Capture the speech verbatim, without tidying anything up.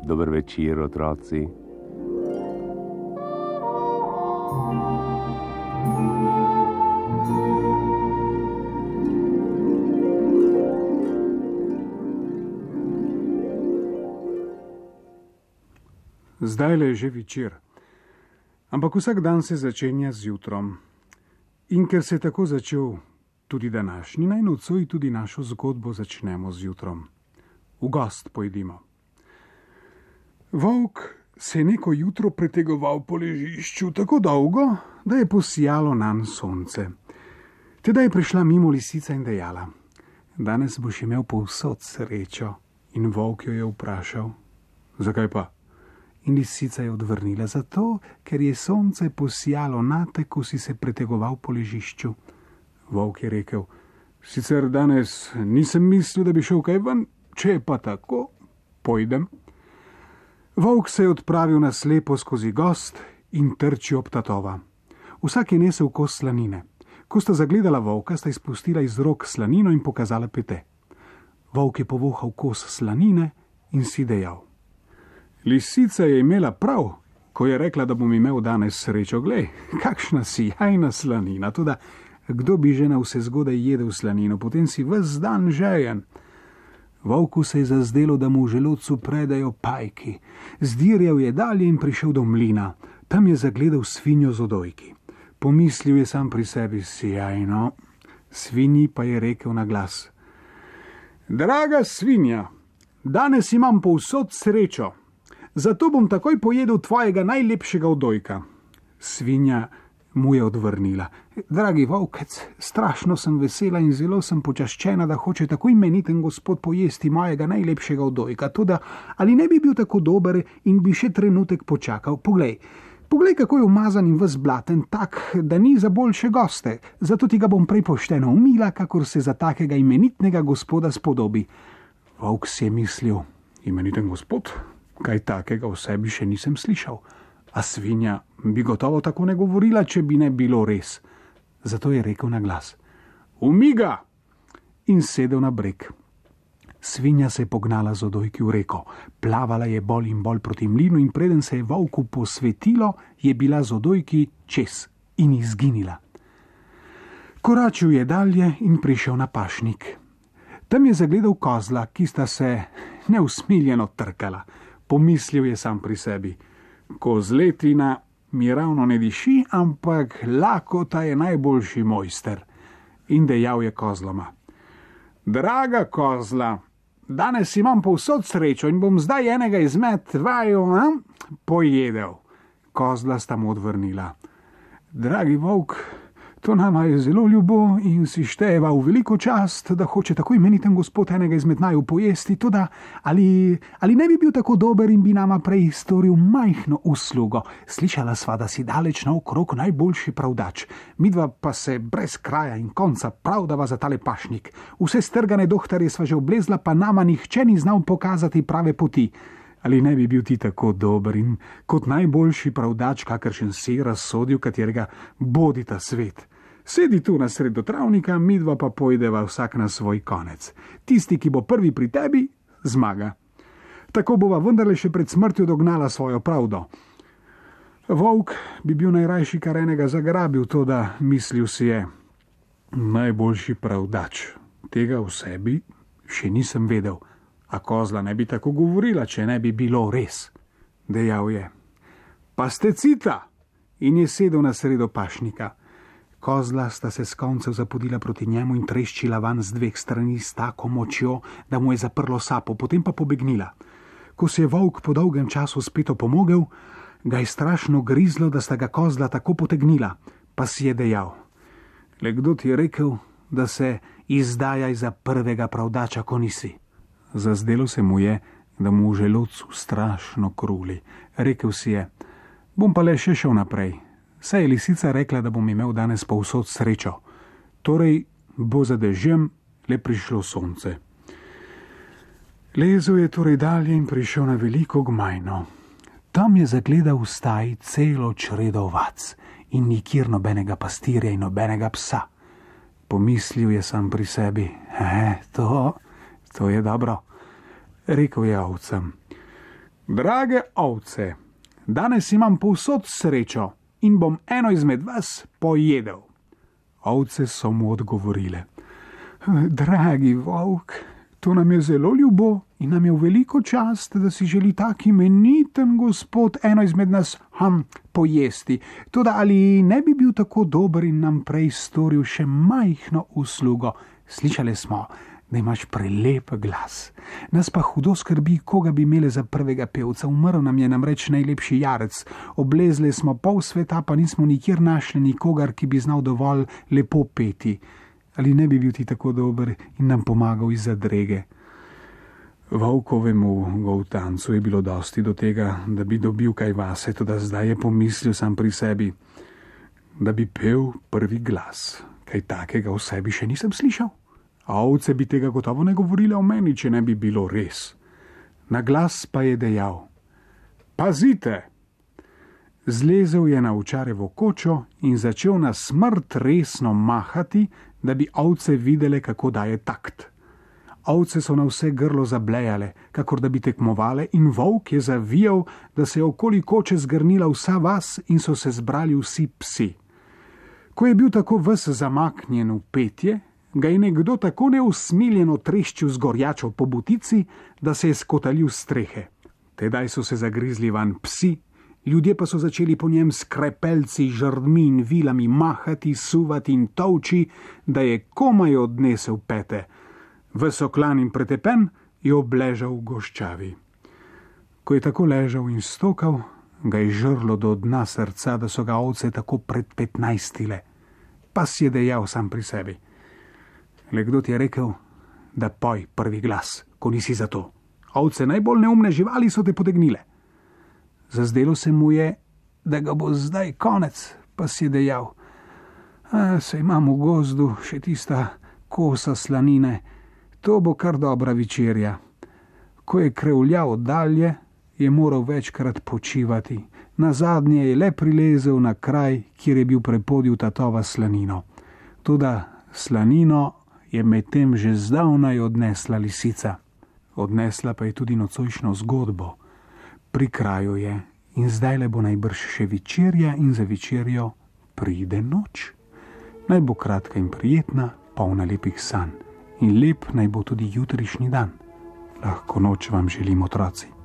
Dober večer, otroci. Zdajle je že večer, ampak vsak dan se začenja z jutrom. In ker se je tako začel tudi današnji, naj nocoj tudi našo zgodbo začnemo z jutrom. V gost pojdimo. Volk se je neko jutro pretegoval po ležišču tako dolgo, da je posijalo nanj sonce. Teda je prišla mimo lisica in dejala: danes boš imel povsod srečo. In volk jo je vprašal: zakaj pa? In lisica je odvrnila: zato, ker je sonce posijalo nate, ko si se pretegoval po ležišču. Volk je rekel: sicer danes nisem mislil, da bi šel kaj ven, če je pa tako, pojdem. Volk se je odpravil na slepo skozi gost in trči ob tatova. Vsak je nesel kos slanine. Ko sta zagledala volka, sta izpustila iz rok slanino in pokazala pete. Volk je povohal kos slanine in si dejal: lisica je imela prav, ko je rekla, da bom imel danes srečo. Glej, kakšna sijajna slanina, tudi kdo bi že na vse zgodaj jedel slanino, potem si ves dan žejen. Volku se je zazdelo, da mu v želodcu predajo pajki. Zdirjal je dalje in prišel do mlina. Tam je zagledal svinjo z odojki. Pomislil je sam pri sebi: sijajno. Svinji pa je rekel na glas: draga svinja, danes imam povsod srečo, zato bom takoj pojedel tvojega najlepšega odojka. Svinja mu je odvrnila: dragi volkec, strašno sem vesela in zelo sem počaščena, da hoče tako imeniten gospod pojesti mojega najlepšega odojka. Toda ali ne bi bil tako dober in bi še trenutek počakal? Poglej, poglej, kako je umazan in ves blaten, tak, da ni za boljše goste. Zato ti ga bom prej pošteno umila, kakor se za takega imenitnega gospoda spodobi. Volk si je mislil: imeniten gospod? Kaj takega v sebi še nisem slišal. A svinja bi gotovo tako ne govorila, če bi ne bilo res. Zato je rekel na glas: umiga! In sedel na breg. Svinja se je pognala z odojki v reko. Plavala je bolj in bolj proti mlinu in preden se je volku posvetilo, je bila z odojki čez in izginila. Koračil je dalje in prišel na pašnik. Tam je zagledal kozla, ki sta se neusmiljeno trkala. Pomislil je sam pri sebi: kozletina mi ravno ne diši, ampak lakota je najboljši mojster. In dejal je kozloma: draga kozla, danes imam povsod srečo in bom zdaj enega izmed vaju a, pojedel. Kozla sta mu odvrnila: dragi volk, to nama je zelo ljubo in si števa v veliko čast, da hoče tako imeniten gospod enega izmed naju pojesti, toda ali, ali ne bi bil tako dober in bi nama prej storil majhno uslugo. Slišala sva, da si daleč naokrog najboljši pravdač, midva pa se brez kraja in konca pravdava za tale pašnik. Vse strgane dohtarje sva že oblezla, pa nama nihče ni znal pokazati prave poti. Ali ne bi bil ti tako dober in kot najboljši pravdač, kakršen si razsodil, katerega bodi ta svet? Sedi tu na sredo travnika, midva pa pojdeva vsak na svoj konec. Tisti, ki bo prvi pri tebi, zmaga. Tako bova vendarle še pred smrtjo dognala svojo pravdo. Volk bi bil najrajši kar enega zagrabil, to da mislil si je: najboljši pravdač, tega v sebi še nisem vedel. A kozla ne bi tako govorila, če ne bi bilo res. Dejal je: pa ste cita! In je sedel na sredo pašnika. Kozla sta se s koncev zapodila proti njemu in treščila van z dveh strani s tako močjo, da mu je zaprlo sapo, potem pa pobegnila. Ko se je volk po dolgem času spet opomogel, ga je strašno grizlo, da sta ga kozla tako potegnila, pa si je dejal: le kdo ti je rekel, da se izdajaj za prvega pravdača, ko nisi? Zazdelo se mu je, da mu v želodcu strašno kruli. Rekel si je: bom pa le še šel naprej. Saj je lisica rekla, da bom imel danes povsod srečo. Torej bo za dežjem le prišlo sonce. Lezel je torej dalje in prišel na veliko gmajno. Tam je zagledal v staji celo čredo ovac in nikjer nobenega pastirja in nobenega psa. Pomislil je sam pri sebi: e, to, to je dobro. Rekel je ovcem: drage ovce, danes imam povsod srečo in bom eno izmed vas pojedel. Ovce so mu odgovorile: dragi volk, to nam je zelo ljubo in nam je v veliko čast, da si želi tak imeniten gospod eno izmed nas ham pojesti. Toda ali ne bi bil tako dober in nam prej storil še majhno uslugo? Slišali smo, da imaš prelep glas. Nas pa hudo skrbi, koga bi imeli za prvega pevca. Umrl nam je namreč najlepši jarec. Oblezli smo pol sveta, pa nismo nikjer našli nikogar, ki bi znal dovolj lepo peti. Ali ne bi bil ti tako dober in nam pomagal iz zadrege? Volkovemu goltancu je bilo dosti do tega, da bi dobil kaj vase, toda zdaj je pomislil sam pri sebi, da bi pel prvi glas. Kaj takega v sebi še nisem slišal. A ovce bi tega gotovo ne govorile o meni, če ne bi bilo res. Na glas pa je dejal: pazite! Zlezel je na ovčarevo kočo in začel na smrt resno mahati, da bi ovce videle, kako daje takt. Ovce so na vse grlo zablejale, kakor da bi tekmovale, in volk je zavijal, da se je okoli koče zgrnila vsa vas in so se zbrali vsi psi. Ko je bil tako ves zamaknjen v petje, ga je nekdo tako neusmiljeno treščil z gorjačo po butici, da se je skotalil strehe. Tedaj so se zagrizli van psi, ljudje pa so začeli po njem s krepelci, žrdmi in vilami mahati, suvati in tolči, da je komaj odnesel pete. Ves oklan in pretepen je obležal v goščavi. Ko je tako ležal in stokal, ga je žrlo do dna srca, da so ga ovce tako predpetnajstile. Pa si je dejal sam pri sebi: le kdo ti je rekel, da poj prvi glas, ko nisi za to? Ovce, najbolj neumne živali, so te potegnile. Zazdelo se mu je, da ga bo zdaj konec, pa si je dejal: a, se imam v gozdu še tista kosa slanine, to bo kar dobra večerja. Ko je krevljal dalje, je moral večkrat počivati. Nazadnje je le prilezel na kraj, kjer je bil prepodil tatova slanino. Toda slanino je medtem že zdavnaj odnesla lisica. Odnesla pa je tudi nocojšnjo zgodbo. Pri kraju je in zdaj le bo najbrž še večerja in za večerjo pride noč. Naj bo kratka in prijetna, polna lepih sanj. In lep naj bo tudi jutrišnji dan. Lahko noč vam želim, otroci.